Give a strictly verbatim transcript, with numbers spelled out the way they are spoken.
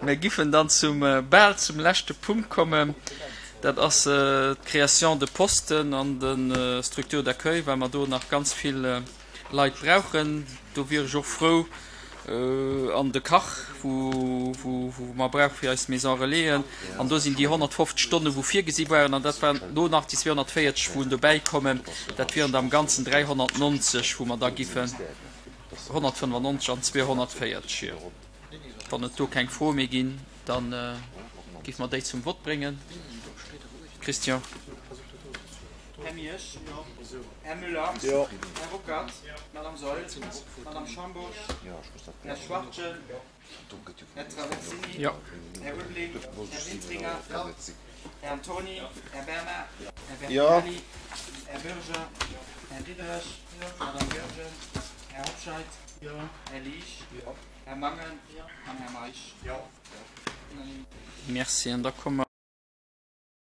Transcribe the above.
Mir giffen dann zum, bal zum leschte Punkt kommen. Dat ass d'Création de Posten an de Structures d'accueil, well mer do nach ganz vill Leit brauchen. Do wier ech och frou, an de Kach, wou mer brauche fir eis Maison relaisen. An do sinn déi honnertfofzeg Stonnen, wou virgesi waren, an dat waren elo nach déi zweehonnertvéierzeg, wou dobäikommen. Dat wieren da am Ganzen dräihonnertnonzeg, wou mer da giffen honnertfënnefannonzeg an zweehonnertvéierzeg, jo. Wann et do keng Froe méi ginn, da géife mer déi zum Vott bréngen. Christian. Här Miersch. Här Müller. Här Ruckert. Madame Saeul. Madame Schambourg. Här Schwachtgen. Här Traversini. Här Ulveling. Här Wintringer. Här Antoni. Här Bernard. Här Bertinelli. Här Bürger. Här Diderich. Madame Goergen. Här Hobscheit. Här Liesch. Här Mangen an Här Meisch. Merci. An da komme mer.